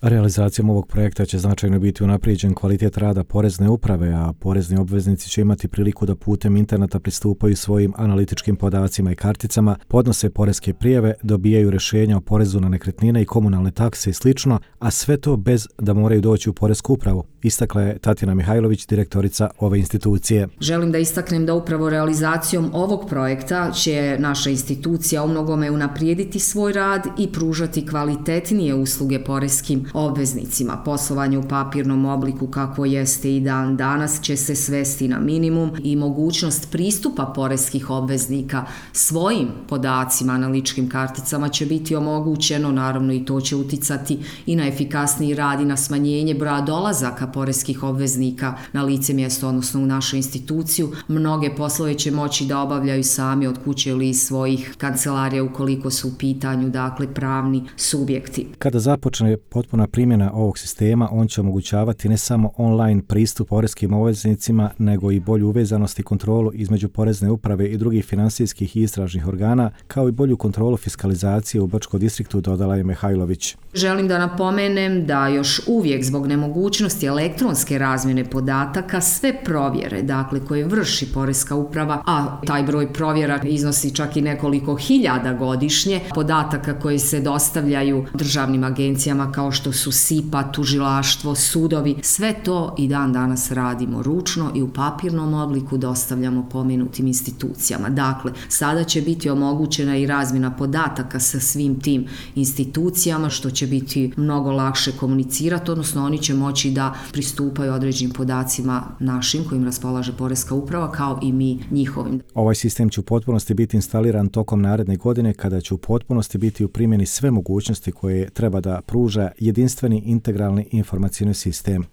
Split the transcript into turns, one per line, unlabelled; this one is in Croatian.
Realizacijom ovog projekta će značajno biti unaprijeđen kvalitet rada porezne uprave, a porezni obveznici će imati priliku da putem interneta pristupaju svojim analitičkim podacima i karticama, podnose poreske prijave, dobijaju rješenja o porezu na nekretnine i komunalne takse i slično, a sve to bez da moraju doći u poresku upravu, istakla je Tatjana Mihajlović, direktorica ove institucije.
Želim da istaknem da upravo realizacijom ovog projekta će naša institucija u mnogome unaprijediti svoj rad i pružati kvalitetnije usluge poreskim obveznicima. Poslovanje u papirnom obliku kako jeste i dan danas će se svesti na minimum i mogućnost pristupa poreskih obveznika svojim podacima, analitičkim karticama će biti omogućeno, naravno i to će uticati i na efikasniji rad i na smanjenje broja dolazaka poreskih obveznika na lice mjesto, odnosno u našu instituciju. Mnoge poslove će moći da obavljaju sami od kuće ili iz svojih kancelarija ukoliko su u pitanju, dakle, pravni subjekti.
Kada započne potpuna primjena ovog sistema, on će omogućavati ne samo online pristup poreskim obveznicima, nego i bolju uvezanost i kontrolu između porezne uprave i drugih finansijskih i istražnih organa, kao i bolju kontrolu fiskalizacije u Brčkom distriktu, dodala je Mihajlović.
Želim da napomenem da još uvijek zbog nemogućnosti elektronske razmjene podataka sve provjere, dakle, koje vrši poreska uprava, a taj broj provjera iznosi čak i nekoliko hiljada godišnje, podataka koji se dostavljaju državnim agencijama kao što su SIPA, tužilaštvo, sudovi, sve to i dan danas radimo ručno i u papirnom obliku dostavljamo pomenutim institucijama. Dakle, sada će biti omogućena i razmjena podataka sa svim tim institucijama, što će biti mnogo lakše komunicirati, odnosno oni će moći da pristupaju određenim podacima našim kojim raspolaže poreska uprava, kao i mi njihovim.
Ovaj sistem će u potpunosti biti instaliran tokom naredne godine, kada će u potpunosti biti u primjeni sve mogućnosti koje treba da pruža jedinstveni integralni informacijni sistem.